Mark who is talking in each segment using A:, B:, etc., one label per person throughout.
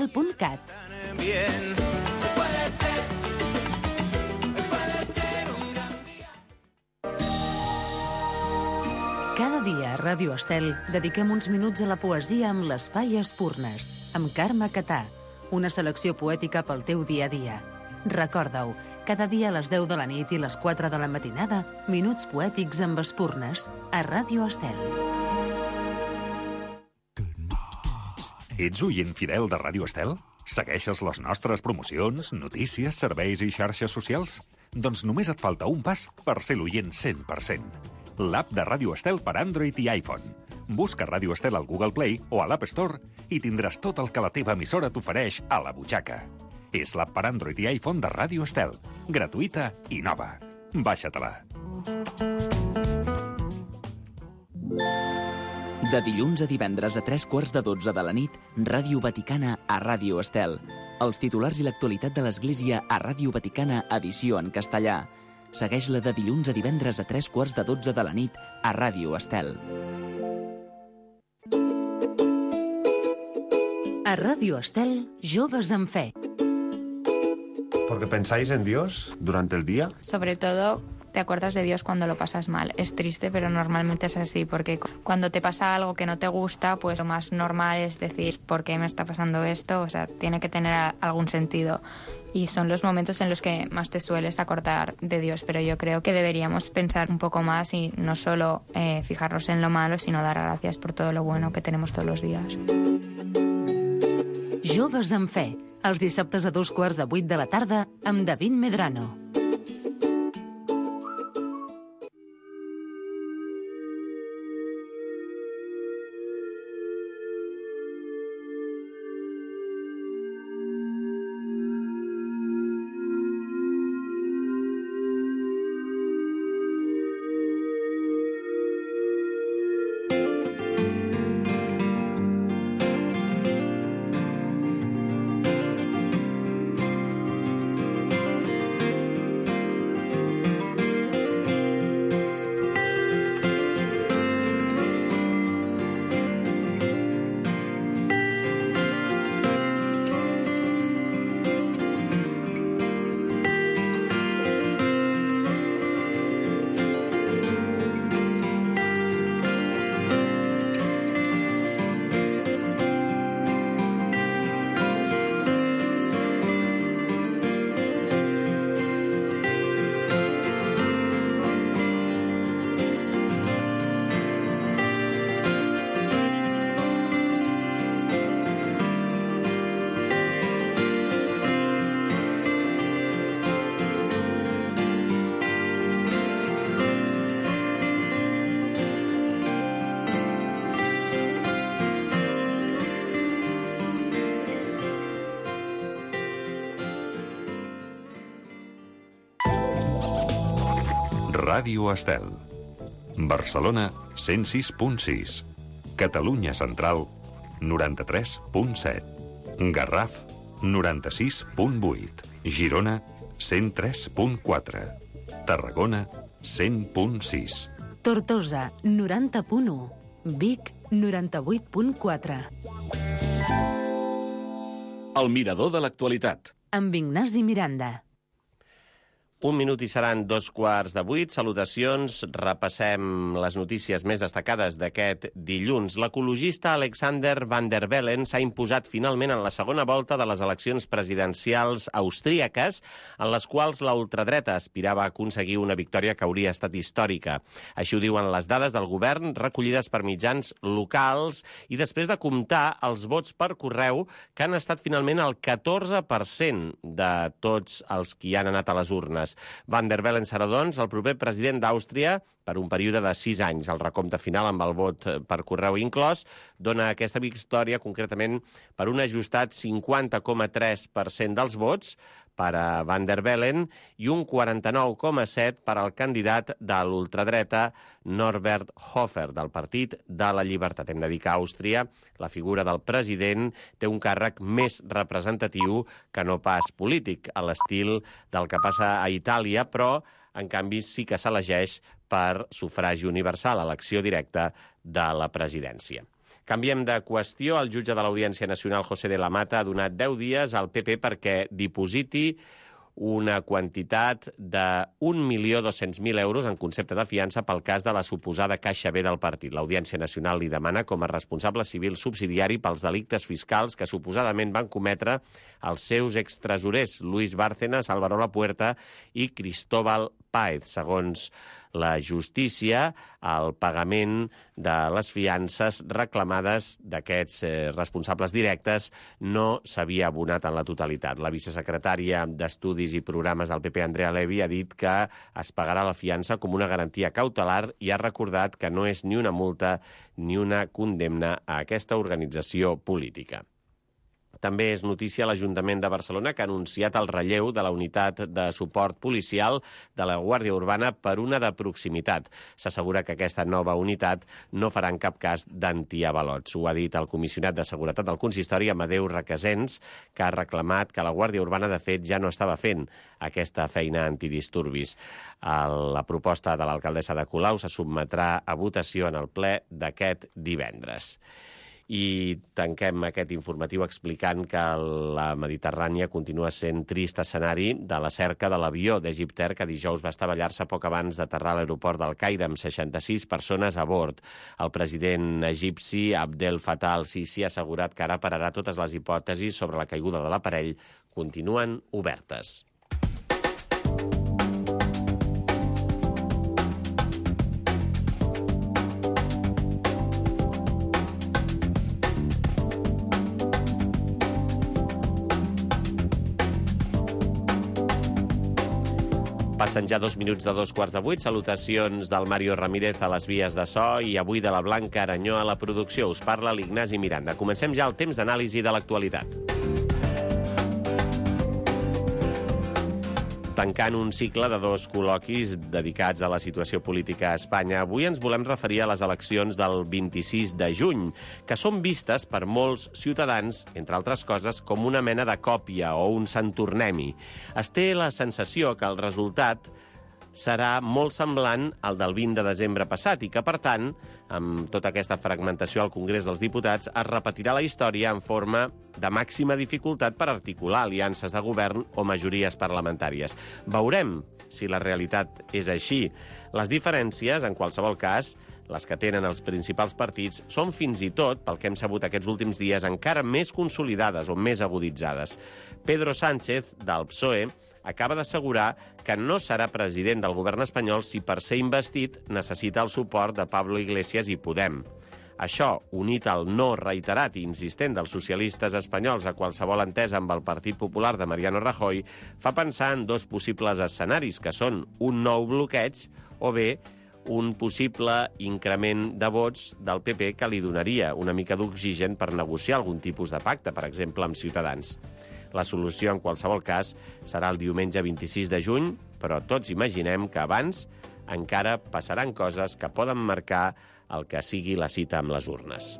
A: .cat. Cada dia a Ràdio Estel dediquem uns minuts a la poesia amb l'Espai Espurnes, amb Carme Catà, una selecció poètica pel teu dia a dia. Recorda-ho, cada dia a les 10 de la nit i les 4 de la matinada, minuts poètics amb Espurnes, a Ràdio Estel.
B: Ets oient fidel de Ràdio Estel? Segueixes les nostres promocions, notícies, serveis i xarxes socials? Doncs només et falta un pas per ser l'oient 100%. L'app de Ràdio Estel per Android i iPhone. Busca Ràdio Estel al Google Play o a l'App Store i tindràs tot el que la teva emissora t'ofereix a la butxaca. És l'app per Android i iPhone de Ràdio Estel. Gratuïta i nova. Baixa-te-la.
C: De dilluns a divendres a 11:45 de la nit, Ràdio Vaticana a Ràdio Estel. Els titulars i l'actualitat de l'Església a Ràdio Vaticana, edició en castellà. Segueix-la de dilluns a divendres a 11:45 de la nit a Ràdio Estel.
A: A Ràdio Estel, Joves en Fe.
D: ¿Porque pensáis en Dios durante el día?
E: Sobre todo, te acuerdas de Dios cuando lo pasas mal. Es triste, pero normalmente es así, porque cuando te pasa algo que no te gusta, pues lo más normal es decir, ¿por qué me está pasando esto? O sea, tiene que tener algún sentido. Y son los momentos en los que más te sueles acordar de Dios, pero yo creo que deberíamos pensar un poco más y no solo fijarnos en lo malo, sino dar gracias por todo lo bueno que tenemos todos los días.
A: Joves en Fe, els dissabtes a 7:45 de la tarda amb David Medrano.
B: Ràdio Estel. Barcelona, 106.6. Catalunya Central, 93.7. Garraf, 96.8. Girona, 103.4. Tarragona, 100.6.
A: Tortosa, 90.1. Vic, 98.4.
F: El mirador de l'actualitat.
A: Amb Ignasi Miranda.
G: Un minut i seran 7:45. Salutacions. Repassem les notícies més destacades d'aquest dilluns. L'ecologista Alexander Van der Bellen s'ha imposat finalment en la segona volta de les eleccions presidencials austríaques, en les quals la ultradreta aspirava a aconseguir una victòria que hauria estat històrica. Així ho diuen les dades del govern recollides per mitjans locals i després de comptar els vots per correu, que han estat finalment el 14% de tots els que hi han anat a les urnes. Van der Bellen serà, doncs, el proper president d'Àustria per un període de 6 anys. El recompte final, amb el vot per correu inclòs, dona aquesta victòria concretament per un ajustat 50,3% dels vots per a Van der Bellen i un 49,7% per al candidat de l'ultradreta Norbert Hofer, del Partit de la Llibertat. Hem de dir que a Àustria la figura del president té un càrrec més representatiu que no pas polític, a l'estil del que passa a Itàlia, però en canvi sí que s'elegeix per sufragi universal, elecció directa de la presidència. Canviem de qüestió. El jutge de l'Audiència Nacional, José de la Mata, ha donat 10 dies al PP perquè dipositi una quantitat de 1.200.000 euros en concepte de fiança pel cas de la suposada caixa B del partit. L'Audiència Nacional li demana com a responsable civil subsidiari pels delictes fiscals que suposadament van cometre els seus extresorers Luis Bárcenas, Álvaro Lapuerta i Cristóbal Páez. Segons la justícia, el pagament de les fiances reclamades d'aquests responsables directes no s'havia abonat en la totalitat. La vicesecretària d'Estudis i Programes del PP, Andrea Levy, ha dit que es pagarà la fiança com una garantia cautelar i ha recordat que no és ni una multa ni una condemna a aquesta organització política. També és notícia l'Ajuntament de Barcelona, que ha anunciat el relleu de la unitat de suport policial de la Guàrdia Urbana per una de proximitat. S'assegura que aquesta nova unitat no farà en cap cas d'antiavalots. Ho ha dit el comissionat de Seguretat del Consistori, Amadeu Requesens, que ha reclamat que la Guàrdia Urbana, de fet, ja no estava fent aquesta feina antidisturbis. La proposta de l'alcaldessa de Colau se sotmetrà a votació en el ple d'aquest divendres. I tanquem aquest informatiu explicant que la Mediterrània continua sent trist escenari de la cerca de l'avió d'Egypter que dijous va estavellar-se poc abans d'aterrar a l'aeroport del Caire amb 66 persones a bord. El president egipci Abdel Fattah al-Sisi ha assegurat que ara pararà totes les hipòtesis sobre la caiguda de l'aparell continuen obertes. Passen ja 2 minuts de 7:15. Salutacions del Mario Ramírez a les vies de so i avui de la Blanca Aranyó a la producció. Us parla l'Ignasi Miranda. Comencem ja el temps d'anàlisi de l'actualitat. Tancant un cicle de 2 col·loquis dedicats a la situació política a Espanya, avui ens volem referir a les eleccions del 26 de juny, que són vistes per molts ciutadans, entre altres coses, com una mena de còpia o un sant tornem-hi. Es té la sensació que el resultat serà molt semblant al del 20 de desembre passat i que, per tant, amb tota aquesta fragmentació al Congrés dels Diputats, es repetirà la història en forma de màxima dificultat per articular aliances de govern o majories parlamentàries. Veurem si la realitat és així. Les diferències, en qualsevol cas, les que tenen els principals partits, són fins i tot, pel que hem sabut aquests últims dies, encara més consolidades o més aguditzades. Pedro Sánchez, del PSOE, acaba d'assegurar que no serà president del govern espanyol si per ser investit necessita el suport de Pablo Iglesias i Podem. Això, unit al no reiterat i insistent dels socialistes espanyols a qualsevol entesa amb el Partit Popular de Mariano Rajoy, fa pensar en 2 possibles escenaris, que són un nou bloqueig o bé un possible increment de vots del PP que li donaria una mica d'oxigen per negociar algun tipus de pacte, per exemple, amb Ciutadans. La solució, en qualsevol cas, serà el diumenge 26 de juny, però tots imaginem que abans encara passaran coses que poden marcar el que sigui la cita amb les urnes.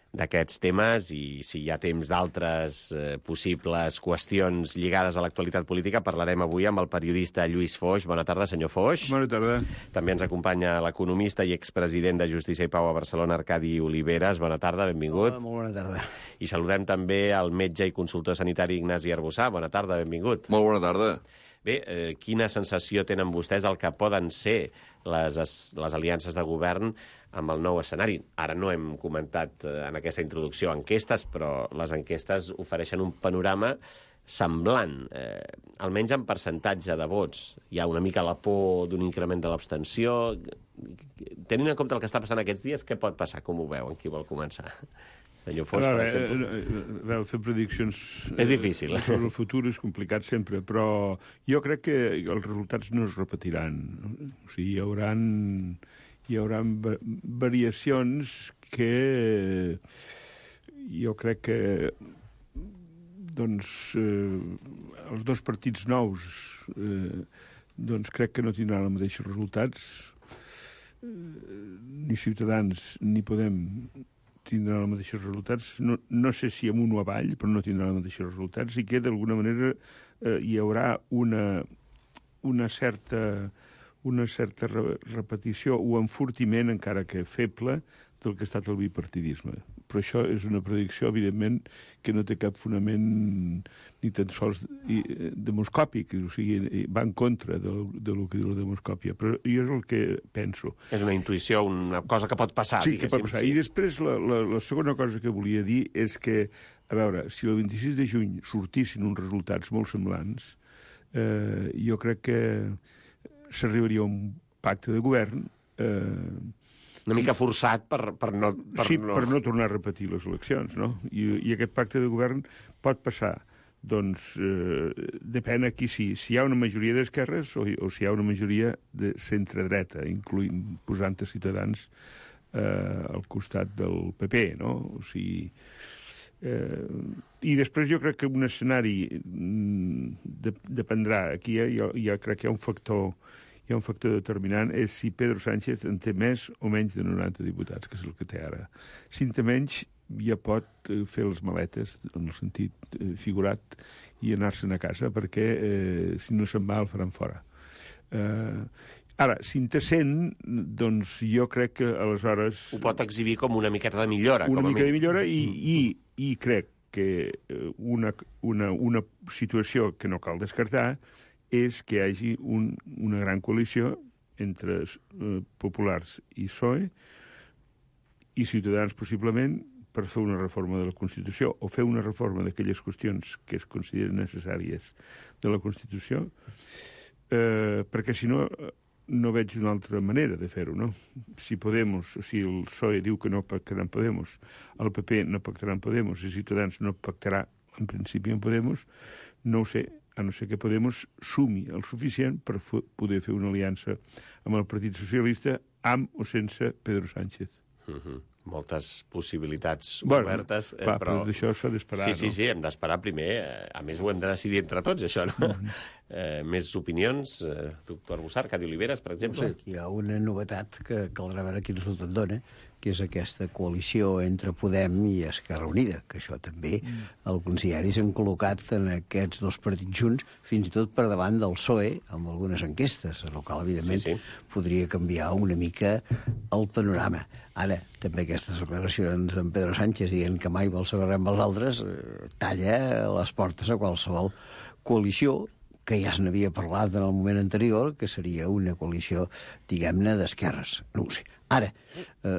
G: D'aquests temes, i si hi ha temps d'altres possibles qüestions lligades a l'actualitat política, parlarem avui amb el periodista Lluís Foix. Bona tarda, senyor Foix.
H: Bona tarda.
G: També ens acompanya l'economista i expresident de Justícia i Pau a Barcelona, Arcadi Oliveres. Bona tarda, benvingut.
H: Hola, molt bona tarda.
G: I saludem també el metge i consultor sanitari Ignasi Arbussà. Bona tarda, benvingut.
I: Molt bona tarda.
G: Bé, quina sensació tenen vostès del que poden ser les aliances de govern amb el nou escenari? Ara no hem comentat en aquesta introducció enquestes, però les enquestes ofereixen un panorama semblant, almenys en percentatge de vots. Hi ha una mica la por d'un increment de l'abstenció. Tenint en compte el que està passant aquests dies, què pot passar? Com ho veuen? Qui vol començar? Foix, per exemple.
H: Fer prediccions
G: és difícil.
H: Sobre el futur és complicat sempre, però jo crec que els resultats no es repetiran. O sigui, hi haurà variacions que jo crec que els 2 partits nous crec que no tindran els mateixos resultats. Ni Ciutadans ni Podem tindran els mateixos resultats. No sé si amunt o avall, però no tindran els mateixos resultats, i que d'alguna manera hi haurà una certa una certa repetició o enfortiment, encara que feble, del que ha estat el bipartidisme. Però això és una predicció, evidentment, que no té cap fonament ni tan sols demoscòpic, o sigui, va en contra del que diu la demoscòpia. Però jo és el que penso.
G: És una intuïció, una cosa que pot passar,
H: sí, que pot passar. I després la segona cosa que volia dir és que, a veure, si el 26 de juny sortissin uns resultats molt semblants, jo crec que s'arribaria a un pacte de govern
G: una mica forçat per no
H: tornar a repetir les eleccions, no? I aquest pacte de govern pot passar. Doncs depèn aquí si hi ha una majoria d'esquerres o si hi ha una majoria de centre-dreta, posant Ciutadans al costat del PP, no? O sigui... I després jo crec que un escenari dependrà. Aquí ja crec que hi ha un factor determinant, és si Pedro Sánchez en té més o menys de 90 diputats, que és el que té ara. Si en té menys, ja pot fer les maletes, en el sentit figurat, i anar-se'n a casa, perquè si no se'n va el faran fora. Ara, si en té 100, doncs jo crec que aleshores...
G: Ho pot exhibir com una miqueta de millora.
H: Una mica de millora i crec que una situació que no cal descartar és que hi hagi una gran coalició entre populars i PSOE i Ciutadans, possiblement, per fer una reforma de la Constitució o fer una reforma d'aquelles qüestions que es consideren necessàries de la Constitució, perquè si no, no veig una altra manera de fer-ho, no? Si Podemos, o si el PSOE diu que no pactarà amb Podemos, el PP no pactarà amb Podemos i Ciutadans no pactarà, en principi, amb Podemos, no ho sé, a no ser que Podemos sumi el suficient per poder fer una aliança amb el Partit Socialista, amb o sense Pedro Sánchez.
G: Moltes possibilitats obertes.
H: Però d'això s'ha d'esperar,
G: no? Sí, hem d'esperar primer. A més, ho hem de decidir entre tots, això, no? Més opinions? Doctor Bussart, Cadi Oliveres, per exemple?
I: Sí, hi ha una novetat que caldrà veure quin resultat dona, que és aquesta coalició entre Podem i Esquerra Unida, que això també alguns diaris han col·locat en aquests dos partits junts, fins i tot per davant del PSOE, amb algunes enquestes, el qual, evidentment, podria canviar una mica el panorama. Ara, també aquestes declaracions d'en Pedro Sánchez dient que mai vol saber amb els altres talla les portes a qualsevol coalició, que ja se n'havia parlat en el moment anterior, que seria una coalició, diguem-ne, d'esquerres. No ho sé. Ara,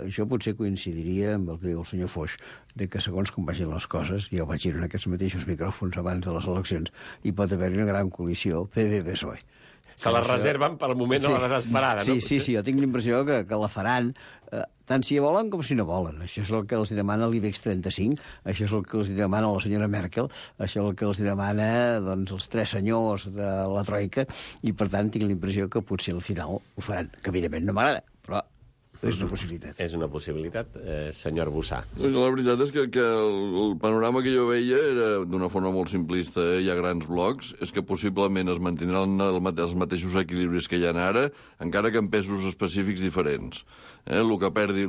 I: jo potser coincidiria amb el que diu el senyor Foix, de que segons com vagin les coses, ja ho vaig dir en aquests mateixos micròfons abans de les eleccions, hi pot haver-hi una gran coalició PP-PSOE.
G: Se la reserven per al moment de la desesperada, no?
I: Sí, jo tinc l'impressió que la faran tant si volen com si no volen. Això és el que els demana l'IBEX 35, això és el que els demana la senyora Merkel, això és el que els demana els tres senyors de la Troika, i per tant tinc l'impressió que potser al final ho faran, que evidentment no m'agrada, però és una possibilitat.
G: És una possibilitat, senyor Bussà.
J: La veritat és que el panorama que jo veia era, d'una forma molt simplista, hi ha grans blocs, és que possiblement es mantindran els mateixos equilibris que hi ha ara, encara que en pesos específics diferents. El que perdi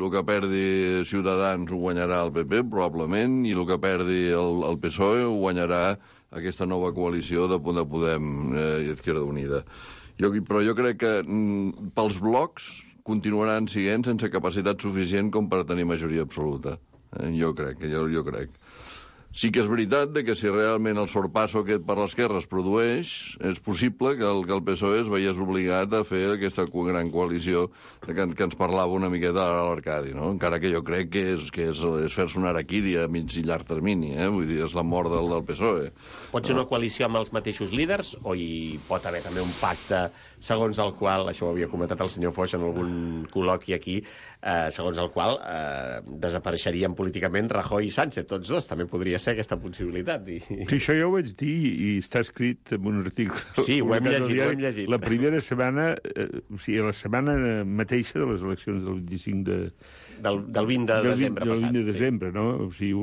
J: Ciutadans ho guanyarà el PP, probablement, i el que perdi el PSOE ho guanyarà aquesta nova coalició de Podem i Izquierda Unida. Però jo crec que pels blocs continuaran sent sense capacitat suficient com per tenir majoria absoluta. Jo crec. Sí que és veritat que si realment el sorpasso aquest per l'esquerra es produeix, és possible que el PSOE es veiés obligat a fer aquesta gran coalició que ens parlava una miqueta a l'Arcadi, no? Encara que jo crec que és fer-se una araquidi a mig i llarg termini, vull dir, és la mort del PSOE.
G: Pot ser una coalició amb els mateixos líders o hi pot haver també un pacte segons el qual, això ho havia comentat el senyor Foix en algun col·loqui aquí, segons el qual desapareixerien políticament Rajoy i Sánchez, tots dos. També podria ser aquesta possibilitat.
H: Sí, això ja ho vaig dir i està escrit en un article.
G: Sí, ho hem llegit.
H: La primera setmana, o sigui, la setmana mateixa de les eleccions del 25
G: del 20 de desembre passat.
H: Del 20 de desembre, no? O sigui,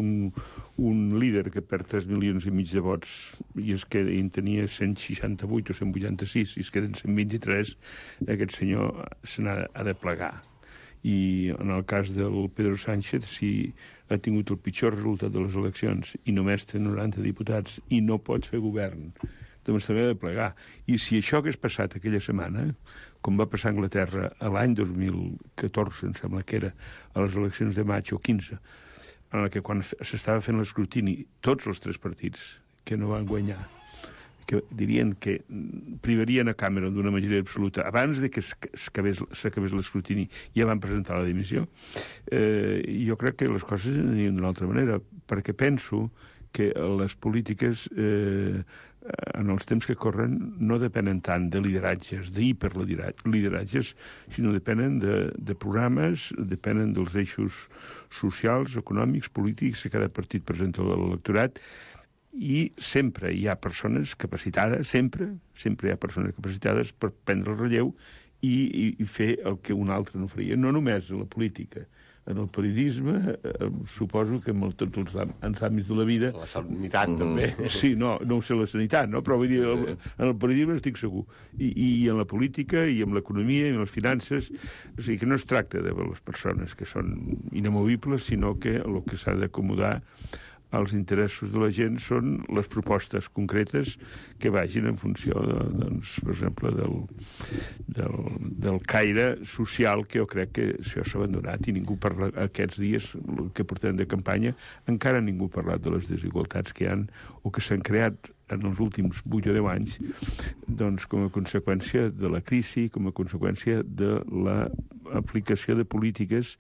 H: un líder que perd 3 milions i mig de vots i en tenia 168 o 186 i es queden 123, aquest senyor se n'ha de plegar. I en el cas del Pedro Sánchez, si ha tingut el pitjor resultat de les eleccions i només té 90 diputats i no pot fer govern, doncs també ha de plegar. I si això hagués passat aquella setmana, com va passar a Anglaterra a l'any 2014, em sembla que era, a les eleccions de maig o 15, en què quan s'estava fent l'escrutini, tots els 3 partits que no van guanyar, que dirien que privarien a Cameron d'una majoria absoluta abans de que s'acabés l'escrutini, ja van presentar la dimissió. Jo crec que les coses anirien d'una altra manera, perquè penso que les polítiques en els temps que corren no depenen tant de lideratges, d'hiperlideratges, sinó depenen de programes, depenen dels eixos socials, econòmics, polítics que cada partit presenta a l'electorat, i sempre hi ha persones capacitades, sempre hi ha persones capacitades per prendre el relleu i fer el que un altre no faria. No només a la política, en el periodisme, suposo que en tots els àmbits de la vida...
G: La sanitat, també.
H: Sí, no ho sé, la sanitat, no? Però vull dir, en el periodisme estic segur. I en la política, i en l'economia, i en les finances... O sigui, que no es tracta de les persones que són inamovibles, sinó que el que s'ha d'acomodar als interessos de la gent són les propostes concretes que vagin en funció, doncs, per exemple, del caire social que jo crec que això s'ha abandonat i ningú parla aquests dies que portem de campanya, encara ningú ha parlat de les desigualtats que hi ha o que s'han creat en els últims 8 o 10 anys, doncs, com a conseqüència de la crisi, com a conseqüència de l'aplicació de polítiques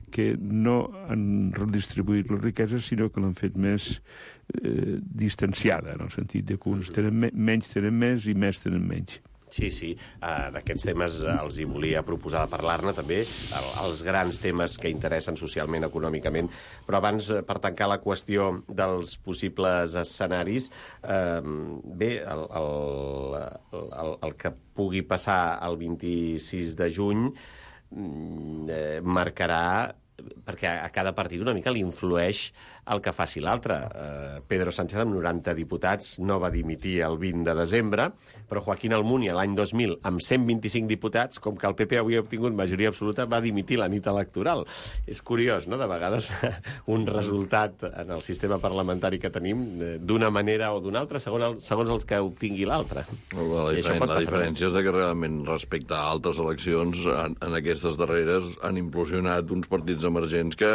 H: que no han redistribuït les riqueses, sinó que l'han fet més distanciada, en el sentit de que uns menys tenen més i més tenen menys.
G: Sí. D'aquests temes els hi volia proposar de parlar-ne també, els grans temes que interessen socialment, econòmicament, però abans, per tancar la qüestió dels possibles escenaris, bé, el que pugui passar el 26 de juny marcarà, perquè a cada partit una mica li influeix el que faci l'altre. Pedro Sánchez, amb 90 diputats, no va dimitir el 20 de desembre, però Joaquín Almunia, l'any 2000, amb 125 diputats, com que el PP avui ha obtingut majoria absoluta, va dimitir la nit electoral. És curiós, no?, de vegades un resultat en el sistema parlamentari que tenim d'una manera o d'una altra, segons els que obtingui l'altre.
J: La diferència és que realment, respecte a altres eleccions, en aquestes darreres han implosionat uns partits emergents que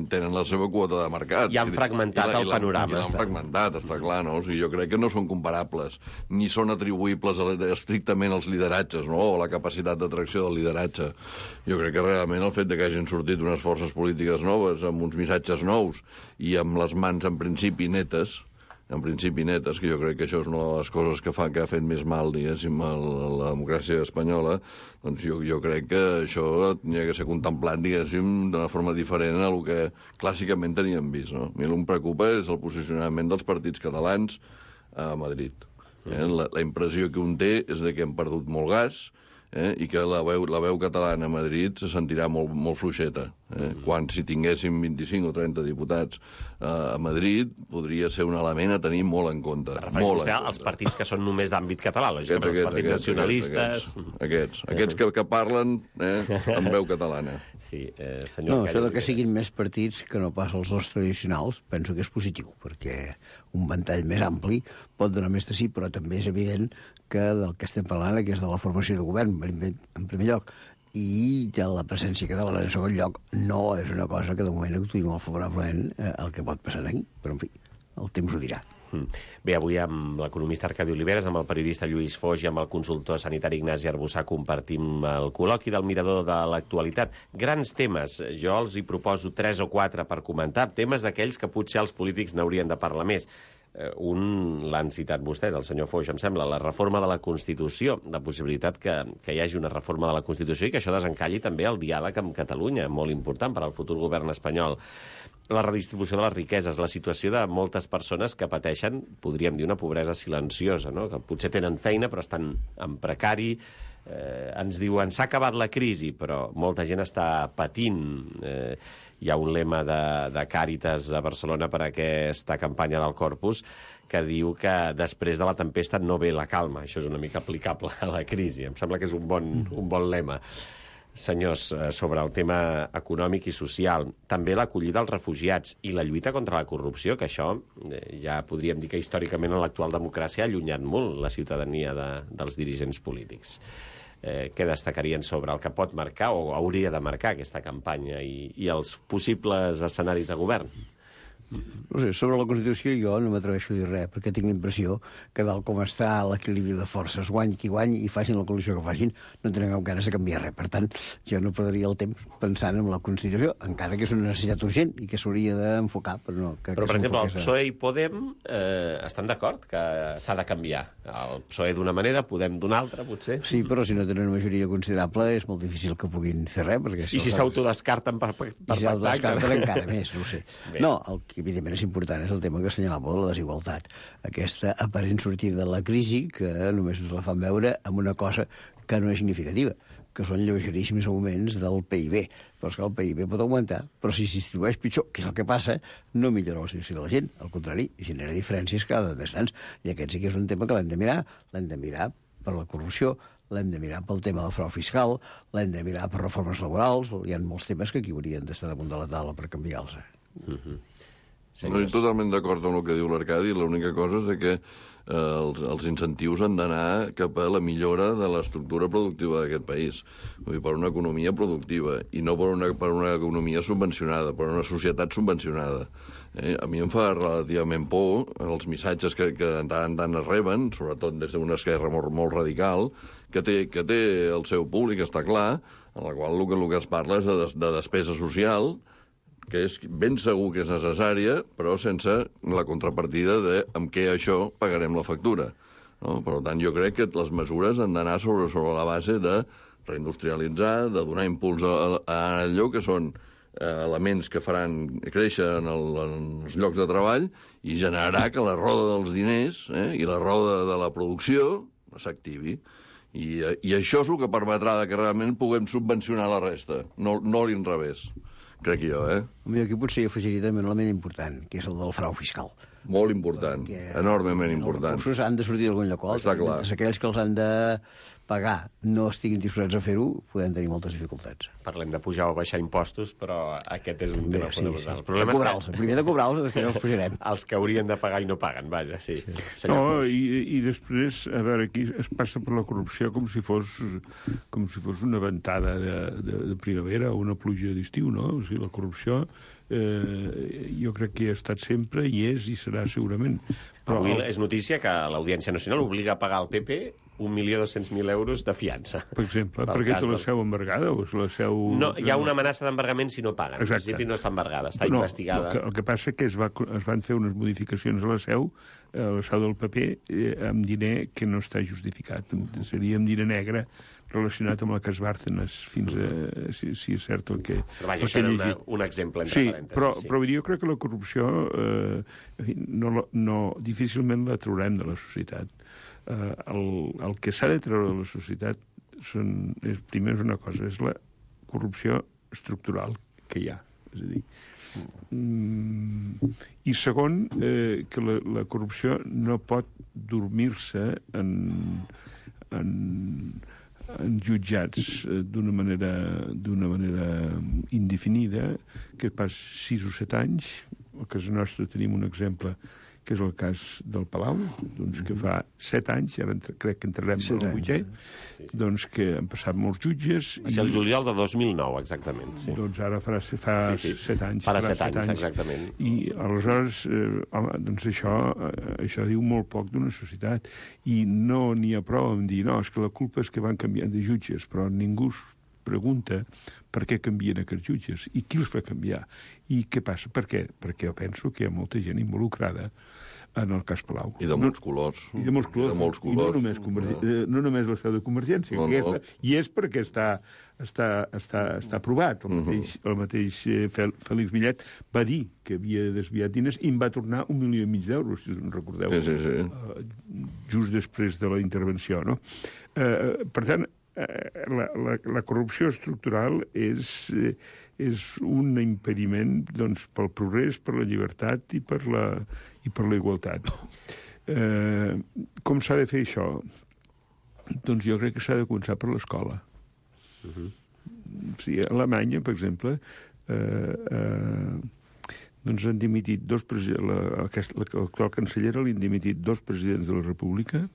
J: tenen la seva quota de mercat.
G: I han fragmentat el panorama.
J: I l'han fragmentat, està clar, no? O sigui, jo crec que no són comparables, ni són atribuïbles estrictament als lideratges, no?, o la capacitat d'atracció del lideratge. Jo crec que realment el fet de que hagin sortit unes forces polítiques noves, amb uns missatges nous i amb les mans, en principi, netes, que jo crec que això és una de les coses que ha fet més mal, diguéssim, a la democràcia espanyola, doncs jo crec que això hauria de ser contemplat, diguéssim, d'una forma diferent a el que clàssicament teníem vist, no? A mi el que em preocupa és el posicionament dels partits catalans a Madrid. La impressió que un té és que han perdut molt gas, i que la veu catalana a Madrid se sentirà molt fluixeta. Quan si tinguéssim 25 o 30 diputats a Madrid podria ser un element a tenir molt en compte.
G: Refereix vostè als partits que són només d'àmbit català, lògicament, els partits nacionalistes...
J: Aquests que parlen amb veu catalana.
G: Sí, senyor...
I: No, això que siguin més partits que no pas els dos tradicionals, penso que és positiu, perquè un ventall més ampli pot donar més de sí, però també és evident que del que estem parlant, que és de la formació de govern, en primer lloc, i de la presència catalana en segon lloc, no és una cosa que de moment actuï molt favorablement el que pot passar aquí, però en fi, el temps ho dirà.
G: Bé, avui amb l'economista Arcadi Oliveres, amb el periodista Lluís Foix i amb el consultor sanitari Ignasi Arbussà compartim el col·loqui del Mirador de l'actualitat. Grans temes. Jo els hi proposo 3 o 4 per comentar, temes d'aquells que potser els polítics n'haurien de parlar més. Un l'han citat vostès, el senyor Foix, em sembla, la reforma de la Constitució, la possibilitat que hi hagi una reforma de la Constitució i que això desencalli també el diàleg amb Catalunya, molt important per al futur govern espanyol. La redistribució de les riqueses, la situació de moltes persones que pateixen, podríem dir, una pobresa silenciosa, no?, que potser tenen feina però estan en precari. Ens diuen, s'ha acabat la crisi, però molta gent està patint. Hi ha un lema de Càritas a Barcelona per a aquesta campanya del Corpus que diu que després de la tempesta no ve la calma. Això és una mica aplicable a la crisi. Em sembla que és un bon lema. Senyors, sobre el tema econòmic i social, també l'acollida als refugiats i la lluita contra la corrupció, que això ja podríem dir que històricament en l'actual democràcia ha allunyat molt la ciutadania dels dirigents polítics. Què destacarien sobre el que pot marcar o hauria de marcar aquesta campanya i els possibles escenaris de govern?
I: No sé, sobre la Constitució jo no m'atreveixo a dir res, perquè tinc la impressió que tal com està l'equilibri de forces, guany qui guanyi i facin la coalició que facin, no tenen cap ganes de canviar res. Per tant, jo no perdria el temps pensant en la Constitució, encara que és una necessitat urgent i que s'hauria d'enfocar, però no.
G: Però, per exemple, el PSOE i Podem estan d'acord que s'ha de canviar. El PSOE d'una manera, Podem d'una altra, potser.
I: Sí, però si no tenen una majoria considerable és molt difícil que puguin fer res. Perquè
G: I si s'autodescarten per pactar?
I: I si s'autodescarten encara més, no ho sé. No, el que evidentment és important és el tema que assenyalava de la desigualtat. Aquesta aparent sortida de la crisi que només ens la fan veure amb una cosa que no és significativa, que són lleugeríssims augments del PIB. Però és que el PIB pot augmentar, però si s'hi distribueix pitjor, que és el que passa, no millora la situació de la gent. Al contrari, genera diferències cada vegada més grans. I aquest sí que és un tema que l'hem de mirar. L'hem de mirar per la corrupció, l'hem de mirar pel tema del frau fiscal, l'hem de mirar per reformes laborals. Hi ha molts temes que aquí haurien d'estar damunt de la taula per canviar-los.
J: Estic totalment d'acord amb el que diu l'Arcadi. L'única cosa és que els incentius han d'anar cap a la millora de l'estructura productiva d'aquest país. Vull dir, per una economia productiva i no per una economia subvencionada, per una societat subvencionada. A mi em fa relativament por els missatges que de tant en tant es reben, sobretot des d'una esquerra molt radical, que té el seu públic, està clar, en la qual el que es parla és de despesa social, que és ben segur que és necessària, però sense la contrapartida de amb què això pagarem la factura. No? Per tant, jo crec que les mesures han d'anar sobre la base de reindustrialitzar, de donar impuls a allò que són elements que faran créixer en els llocs de treball i generarà que la roda dels diners i la roda de la producció s'activi. I això és el que permetrà que realment puguem subvencionar la resta, no l'inrevés. Crec jo,
I: Home, aquí potser hi afegiria també un element important, que és el del frau fiscal.
J: Molt important, enormement important.
I: Els recursos han de sortir d'algun lloc.
J: Està clar.
I: Mentre aquells que els han de pagar no estiguin disposats a fer-ho, podem tenir moltes dificultats.
G: Parlem de pujar o baixar impostos, però aquest és un tema fonamental.
I: De cobrar-los. Primer de cobrar-los, després els pujarem.
G: Els que haurien de pagar i no paguen, vaja, sí.
H: No, i després, a veure, aquí es passa per la corrupció com si fos una ventada de primavera o una pluja d'estiu, no? O sigui, la corrupció jo crec que hi ha estat sempre, hi és i serà segurament.
G: Però avui és notícia que l'Audiència Nacional obliga a pagar al PP 1.200.000 euros de fiança.
H: Per exemple, perquè té la seu embargada o és la seu...
G: No, hi ha una amenaça d'embargament si no paguen. En principi no està embargada, està investigada.
H: El que passa que es van fer unes modificacions a la seu del paper amb diner que no està justificat. Seria amb diner negre relacionat amb el cas Bárcenas, fins a si és cert el que...
G: Però vaja, això era un exemple entre parèntesis.
H: Però jo crec que la corrupció difícilment la traurem de la societat. El que s'ha de treure de la societat primer és una cosa, és la corrupció estructural que hi ha. És a dir, i segon, que la corrupció no pot dormir-se en jutjats d'una manera indefinida, que pas 6 o 7 anys. A casa nostra tenim un exemple que és el cas del Palau, doncs que fa 7 anys, ara crec que entrarem en el 8è, doncs que han passat molts jutges...
G: Va ser el juliol de 2009, exactament. Sí.
H: Doncs ara fa 7 anys.
G: Farà 7 anys, exactament.
H: I aleshores, doncs això diu molt poc d'una societat. I no n'hi ha prou en dir, no, és que la culpa és que van canviant de jutges, però ningú pregunta per què canvien aquests jutges i qui els fa canviar i què passa. Per què? Perquè jo penso que hi ha molta gent involucrada en el cas Palau.
J: I de molts colors.
H: I de molts colors. I no només la seu de Convergència, i és perquè està aprovat. El mateix Félix Millet va dir que havia desviat diners i en va tornar 1,5 milió d'euros, si us en recordeu. Just després de la intervenció, no? Per tant, la corrupció estructural és un impediment pel progrés, per la llibertat i per la igualtat. Com s'ha de fer això? Doncs jo crec que s'ha de començar per l'escola. sí, a Alemanya, per exemple, doncs han dimitit l'actual cancellera li han dimitit 2 presidents de la República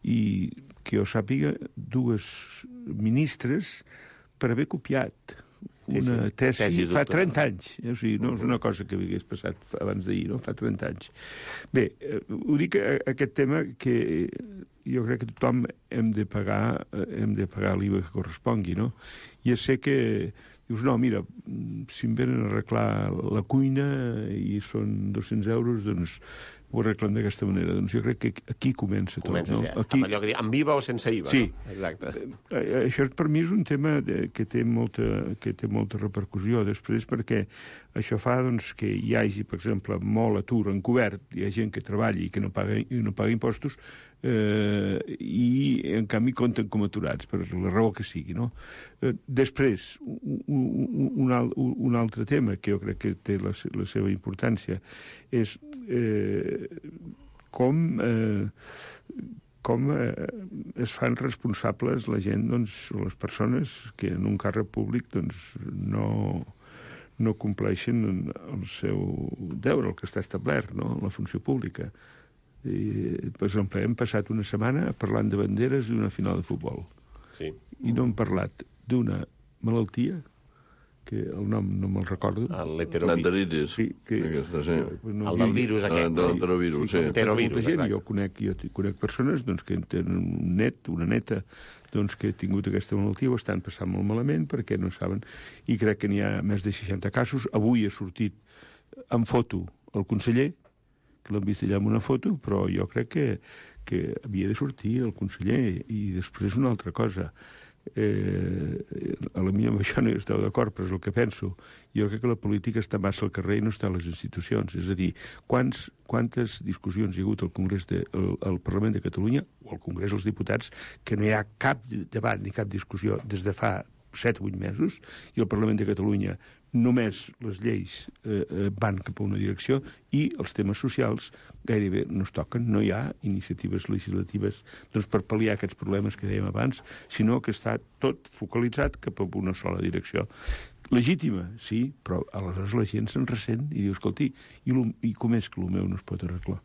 H: i, que jo sàpiga, 2 ministres per haver copiat una tesi fa 30 anys. O sigui, no és una cosa que hagués passat abans d'ahir, no? Fa 30 anys. Bé, ho dic aquest tema que jo crec que tothom hem de pagar l'IVA que correspongui, no? Ja sé que dius, no, mira, si em venen a arreglar la cuina i són 200 euros, doncs ho arreglem d'aquesta manera. Doncs jo crec que aquí comença tot.
G: Comença,
H: no?
G: sí.
H: Aquí...
G: Amb allò que diu, amb IVA o sense IVA.
H: Sí.
G: No? Exacte.
H: Això per mi és un tema que té molta repercussió després, perquè això fa doncs, que hi hagi, per exemple, molt atur encobert, hi ha gent que treballi i que no paga impostos, i en canvi compten com aturats per la raó que sigui, no? Després, un altre tema que jo crec que té la seva importància és com es fan responsables la gent, doncs, o les persones que en un càrrec públic doncs, no compleixen el seu deure, el que està establert, no? La funció pública. Per exemple, hem passat una setmana parlant de banderes d'una final de futbol.
G: Sí.
H: I no hem parlat d'una malaltia, que el nom no me'l recordo.
J: L'enteritis.
H: Sí,
J: aquesta, sí.
G: El del virus aquest.
J: L'enterovirus, sí.
G: Enterovirus,
H: jo conec persones doncs, que tenen un net, una neta, doncs, que ha tingut aquesta malaltia, ho estan passant molt malament perquè no saben, i crec que n'hi ha més de 60 casos. Avui ha sortit en foto el conseller, que l'han vist allà amb una foto, però jo crec que havia de sortir el conseller. I després una altra cosa. A la mi amb això no hi esteu d'acord, però és el que penso. Jo crec que la política està massa al carrer i no està a les institucions. És a dir, quantes discussions hi ha hagut al Parlament de Catalunya o al Congrés dels Diputats que no hi ha cap debat ni cap discussió des de fa 7 o 8 mesos, i el Parlament de Catalunya només les lleis van cap a una direcció i els temes socials gairebé no es toquen. No hi ha iniciatives legislatives doncs, per pal·liar aquests problemes que dèiem abans, sinó que està tot focalitzat cap a una sola direcció. Legítima, sí, però aleshores la gent se'n ressent i diu, escolti, i com és que el meu no es pot arreglar?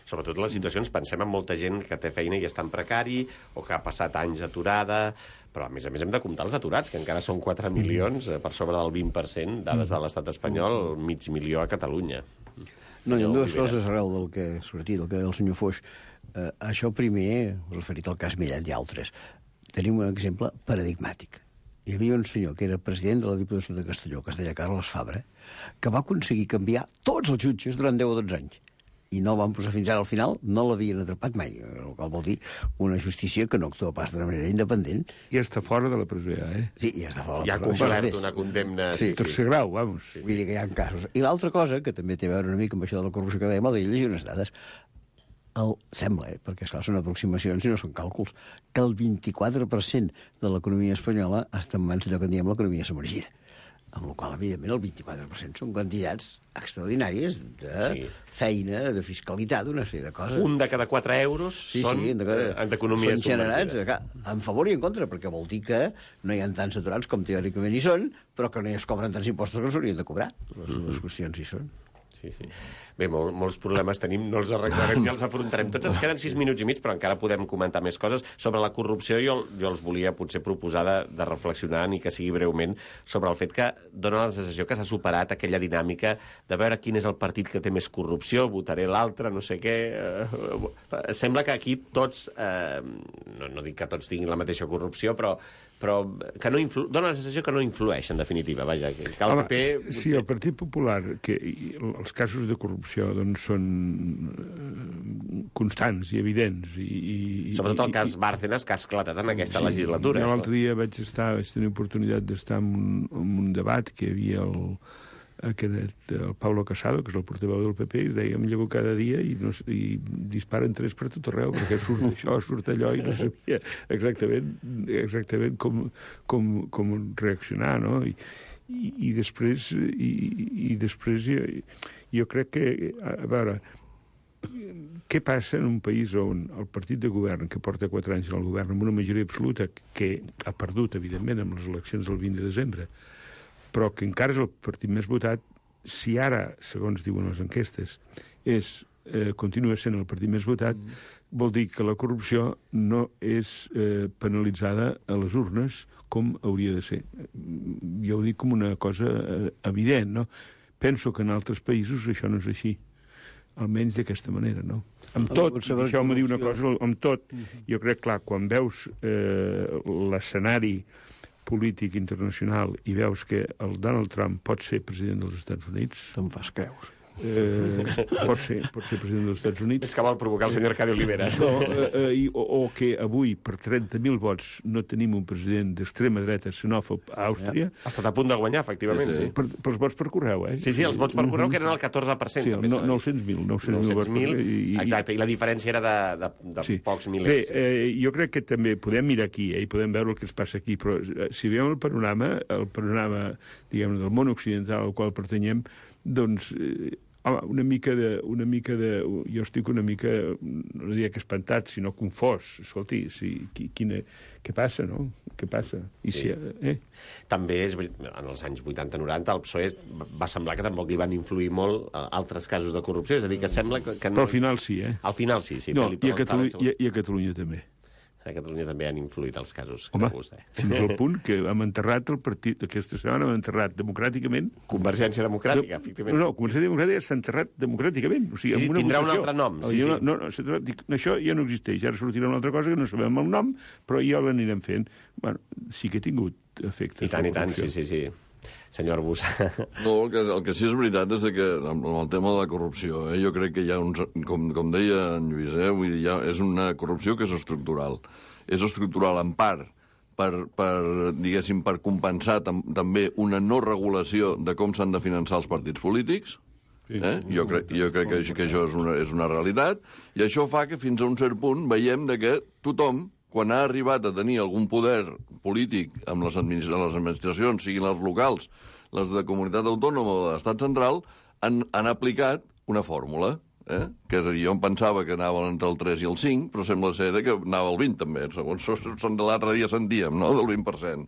G: Sobretot les situacions, pensem en molta gent que té feina i està en precari o que ha passat anys aturada, però a més hem de comptar els aturats, que encara són 4 milions, per sobre del 20%, dades de l'estat espanyol, 500.000 a Catalunya.
I: No, hi ha dues coses arrel del que ha sortit, el que deia el senyor Foix. Això primer, referit al cas Millet i altres, tenim un exemple paradigmàtic. Hi havia un senyor que era president de la Diputació de Castelló, que es deia Carles Fabra, que va aconseguir canviar tots els jutges durant 10 o 12 anys. I no el van posar fins ara al final, no l'havien atrapat mai, el qual vol dir una justícia que no actua pas d'una manera independent.
H: I està fora de la presó ja, eh?
I: Sí, ja està fora de
G: la presó. Ja ha complert una condemna.
H: Sí, tercer grau, vamos.
I: Vull dir que hi ha casos. I l'altra cosa, que també té a veure una mica amb això de la corrupció que dèiem, el llegir unes dades, sembla, perquè esclar, són aproximacions i no són càlculs, que el 24% de l'economia espanyola està en mans d'allò que en diem l'economia submergida. Amb la qual, evidentment, el 24% són quantitats extraordinàries de feina, de fiscalitat, d'una sèrie de coses.
G: Un de cada 4 euros són d'economia submergida.
I: En favor i en contra, perquè vol dir que no hi ha tants aturats com teòricament hi són, però que no es cobren tants impostos que s'haurien de cobrar. Les qüestions hi són.
G: Sí. Bé, molts problemes tenim, no els arreglarem ni els afrontarem. Tots ens queden 6 minuts i mig, però encara podem comentar més coses. Sobre la corrupció, jo els volia potser proposar de reflexionar, ni que sigui breument, sobre el fet que dona la sensació que s'ha superat aquella dinàmica de veure quin és el partit que té més corrupció, votaré l'altre, no sé què... Sembla que aquí tots, no dic que tots tinguin la mateixa corrupció, però que dona la sensació que no influeix, en definitiva. Vaja, que el PP...
H: Sí, el Partit Popular, que els casos de corrupció doncs, són constants i evidents.
G: Sobretot el cas Bárcenas, que ha esclatat en aquesta legislatura.
H: L'altre dia vaig tenir oportunitat d'estar en un debat que hi havia el Pablo Casado, que és el portaveu del PP, i es deia, em llevo cada dia i disparen 3 per tot arreu, perquè surt això, surt allò, i no sabia exactament com reaccionar, no? I després jo crec que, a veure, què passa en un país on el partit de govern, que porta 4 anys en el govern, amb una majoria absoluta, que ha perdut, evidentment, amb les eleccions del 20 de desembre, però que encara és el partit més votat, si ara, segons diuen les enquestes, continua sent el partit més votat, vol dir que la corrupció no és penalitzada a les urnes com hauria de ser. Jo ho dic com una cosa evident, no? Penso que en altres països això no és així, almenys d'aquesta manera, no? Amb tot, deixeu-me dir una cosa, amb tot, jo crec, clar, quan veus l'escenari polític internacional i veus que el Donald Trump pot ser president dels Estats Units...
I: Te'n fas creus.
H: Pot ser president dels Estats Units.
G: És que vol provocar el senyor Arcadio Oliveras.
H: O que avui, per 30.000 vots, no tenim un president d'extrema dreta xenòfob a Àustria.
G: Ha estat a punt de guanyar, efectivament, sí.
H: Pels vots per correu, eh?
G: Sí, els vots per correu, que eren el 14%.
H: Sí, 900.000 vots.
G: Exacte, i la diferència era de pocs milers.
H: Bé, jo crec que també podem mirar aquí, i podem veure el que es passa aquí, però si veiem el panorama, diguem, del món occidental al qual pertanyem, doncs... una mica de... Jo estic una mica, no diria que espantat, sinó confós. Escolti, què passa, no? Què passa?
G: També, en els anys 80-90, el PSOE va semblar que tampoc li van influir molt altres casos de corrupció. És a dir, que sembla que no...
H: Però al final sí, eh?
G: Al final sí.
H: No, i a Catalunya també.
G: A Catalunya també han influït els casos
H: que
G: de vostè.
H: Fins al punt que hem enterrat el partit, aquesta setmana hem enterrat democràticament...
G: Convergència Democràtica, efectivament.
H: No, Convergència Democràtica s'ha enterrat democràticament. O sigui,
G: sí, tindrà un altre nom.
H: No, això ja no existeix. Ara sortirà una altra cosa que no sabem el nom, però ja l'anirem fent. Bueno, sí que ha tingut efectes.
G: I tant, sí. Senyor Arbús.
J: No, el que sí és veritat és que amb el tema de la corrupció, jo crec que hi ha uns... Com deia en Lluís, vull dir, és una corrupció que és estructural. És estructural en part per compensar també una no regulació de com s'han de finançar els partits polítics. Jo crec que això és una realitat, i això fa que fins a un cert punt veiem que tothom, quan ha arribat a tenir algun poder polític amb les administracions, siguin les locals, les de comunitat autònoma o de l'estat central, han aplicat una fórmula, que jo em pensava que anava entre el 3 i el 5, però sembla ser que anava al 20 també, segons l'altre dia sentíem, no?, del 20%.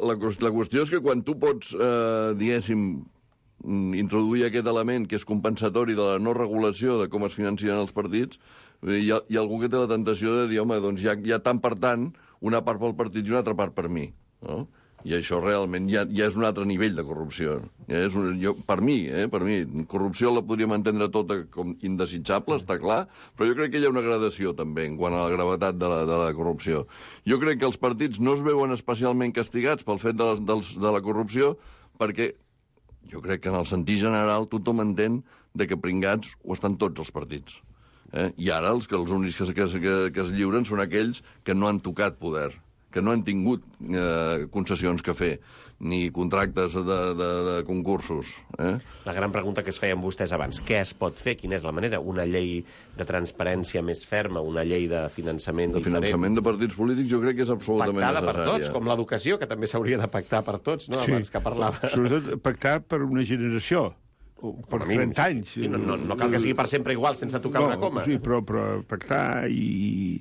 J: La qüestió és que quan tu pots, diguéssim, introduir aquest element que és compensatori de la no regulació de com es financien els partits, hi ha algú que té la tentació de dir, home, doncs hi ha tant per tant, una part pel partit i una altra part per mi, no? I això realment ja és un altre nivell de corrupció. Per mi, corrupció la podríem entendre tota com indesitjable, està clar, però jo crec que hi ha una gradació també en quant a la gravetat de la corrupció. Jo crec que els partits no es veuen especialment castigats pel fet de la corrupció, perquè jo crec que en el sentit general tothom entén que pringats ho estan tots els partits. I ara els únics que es lliuren són aquells que no han tocat poder, que no han tingut concessions que fer, ni contractes de concursos.
G: La gran pregunta que es feien vostès abans, què es pot fer? Quina és la manera? Una llei de transparència més ferma, una llei de finançament diferent?
J: De finançament de partits polítics jo crec que és absolutament necessària.
G: Pactada per tots, com l'educació, que també s'hauria de pactar per tots, no? Abans que parlava.
H: Sobretot pactar per una generació. Per 30 anys.
G: Sí, no cal que sigui per sempre igual, sense tocar una coma.
H: Sí, però pactar i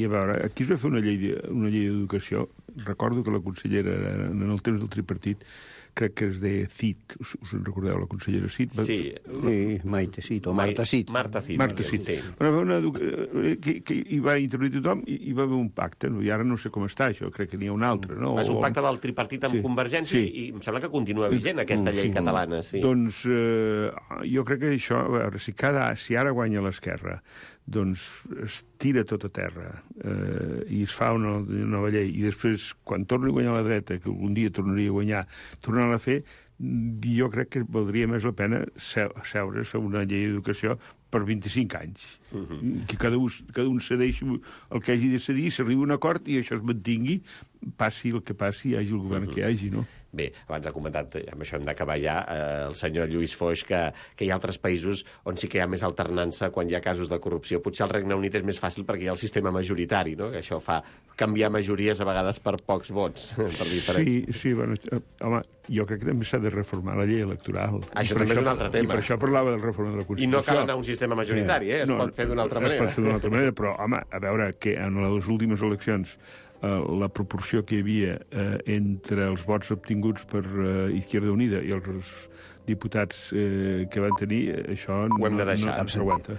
H: a veure, aquí es va fer una llei d'educació. Recordo que la consellera, en el temps del tripartit, crec que es deia Cid, us en recordeu, la consellera Cid?
I: Sí, Maite Cid, o Marta Cid.
G: Marta Cid.
H: Sí. Bueno, que hi va introduir tothom i hi va haver un pacte, i ara no sé com està això, crec que n'hi ha un altre, no?
G: És un pacte del tripartit amb Convergència i em sembla que continua vigent aquesta llei catalana, sí.
H: Doncs jo crec que això, a veure, si ara guanya l'esquerra, doncs es tira tot a terra i es fa una nova llei, i després, quan torni a guanyar la dreta, que algun dia tornaria a guanyar, tornar a fer, jo crec que valdria més la pena seure's a una llei d'educació per 25 anys. Que cada un cedeixi el que hagi de cedir, s'arribi a un acord i això es mantingui, passi el que passi, hi hagi el govern que hi hagi, no?
G: Bé, abans ha comentat, amb això hem d'acabar ja, el senyor Lluís Foix, que hi ha altres països on sí que hi ha més alternança quan hi ha casos de corrupció. Potser al Regne Unit és més fàcil perquè hi ha el sistema majoritari, no? Que això fa canviar majories a vegades per pocs vots. Per diferents.
H: Sí, bueno, home, jo crec que també s'ha de reformar la llei electoral.
G: Això també és un altre tema.
H: I per això parlava del reforma de la Constitució.
G: I no cal anar a un sistema majoritari, es pot fer d'una altra manera.
H: Es pot fer d'una altra manera, però, home, a veure, que en les últimes eleccions la proporció que hi havia entre els vots obtinguts per Izquierda Unida i els diputats que van tenir, això
G: ho hem de deixar.
H: No s'aguanta.